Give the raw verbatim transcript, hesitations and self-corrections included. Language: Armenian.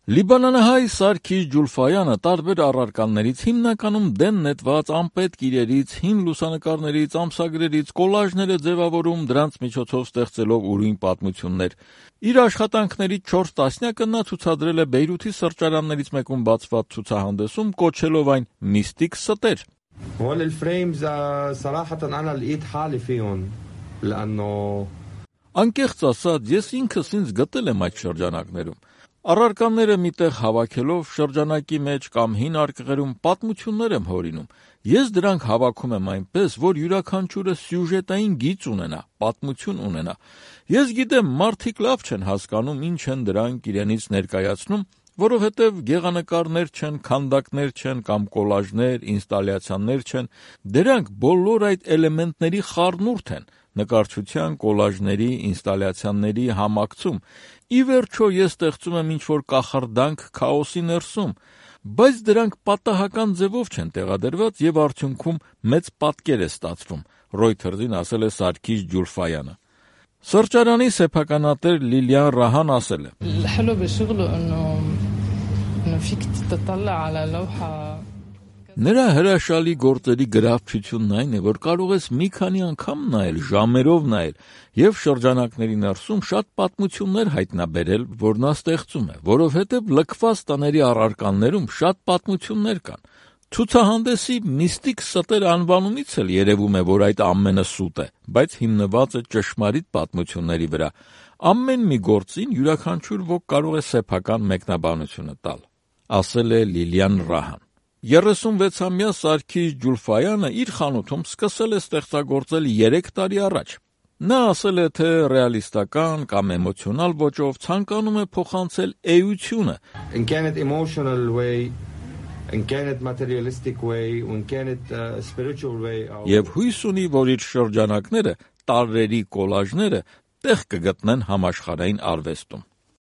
Լիբանանահայ Սարգիս Ջուլֆայանը տարբեր առարկաներից, հիմնականում դեն նետված անպետք իրերից, հին լուսանկարներից, ամսագրերից կոլաժներ է ձևավորում, դրանց միջոցով ստեղծելով ուրույն պատմություններ։ Իր աշխատանքների չորս տասնյակը նա ցուցադրել է Բեյրութի սրճարաններից մեկում բացված ցուցահանդեսում, կոչելով այն «միստիկ ստեր»։ هول الفريمز صراحة أنا لقيت حالي فيهم لأنه Անկեղծ ասած, ես ինքս ինձ գտել եմ այդ շրջանակներում։ Առարկաները միտեղ հավաքելով շրջանակի մեջ կամ հին արկղերում պատմություններ եմ հորինում։ Ես դրանք հավաքում եմ այնպես, որ յուրաքանչյուրը սյուժետային գիծ ունենա, պատմություն ունենա։ Ես գիտեմ, մարդիկ լավ չեն հասկանում, ինչ են դրանք իրենից ներկայացնում, որովհետև գեղանկարներ չեն, քանդակներ չեն կամ կոլաժներ, ինստալյացիաներ չեն, դրանք բոլոր այդ էլեմենտների խառնուրդ են, նկարչության, կոլաժների, ինստալյացիաների համակցում։ Ի վերջո ես ստեղծում եմ ինչ-որ կախարդանք քաոսի ներսում, բայց դրանք պատահական ձևով չեն տեղադրված եւ արդյունքում մեծ պատկեր է ստացվում, Reuters-ին ասել է Սարգիս Ջուլֆայանը։ Սրճարանի սեփականատեր Լիլիան Ռահան ասել է. الحلو بشغله انه انه فيك تطلع على لوحة Նրա հրաշալի գործերի գրավչությունն այն է, որ կարող ես մի քանի անգամ նայել, ժամերով նայել եւ շրջանակների ներսում շատ պատմություններ հայտնաբերել, որ նա ստեղծում է, որովհետեւ լքված տների առարկաներում շատ պատմություններ կան։ Ցուցահանդեսի միստիկ ստեր անվանումից էլ երևում է, որ այդ ամենը սուտ է, բայց հիմնված է ճշմարիտ պատմությունների վրա։ Ամեն մի գործին յուրաքանչյուր ոք կարող է սեփական մեկնաբանությունը տալ, ասել է Լիլիան Ռահան։ երեսունվեցամյա Սարգիս Ջուլֆայանը իր խանութում սկսել է ստեղծագործել երեք տարի առաջ։ Նա ասել է, թե ռեալիստական կամ էմոցիոնալ ոճով ցանկանում է փոխանցել էությունը, إن كانت emotional way إن كانت materialistic way وإن كانت uh, spiritual way եւ հույս ունի, որ իր շրջանակները, տարրերի կոլաժները տեղ կգտնեն համաշխարհային արվեստում։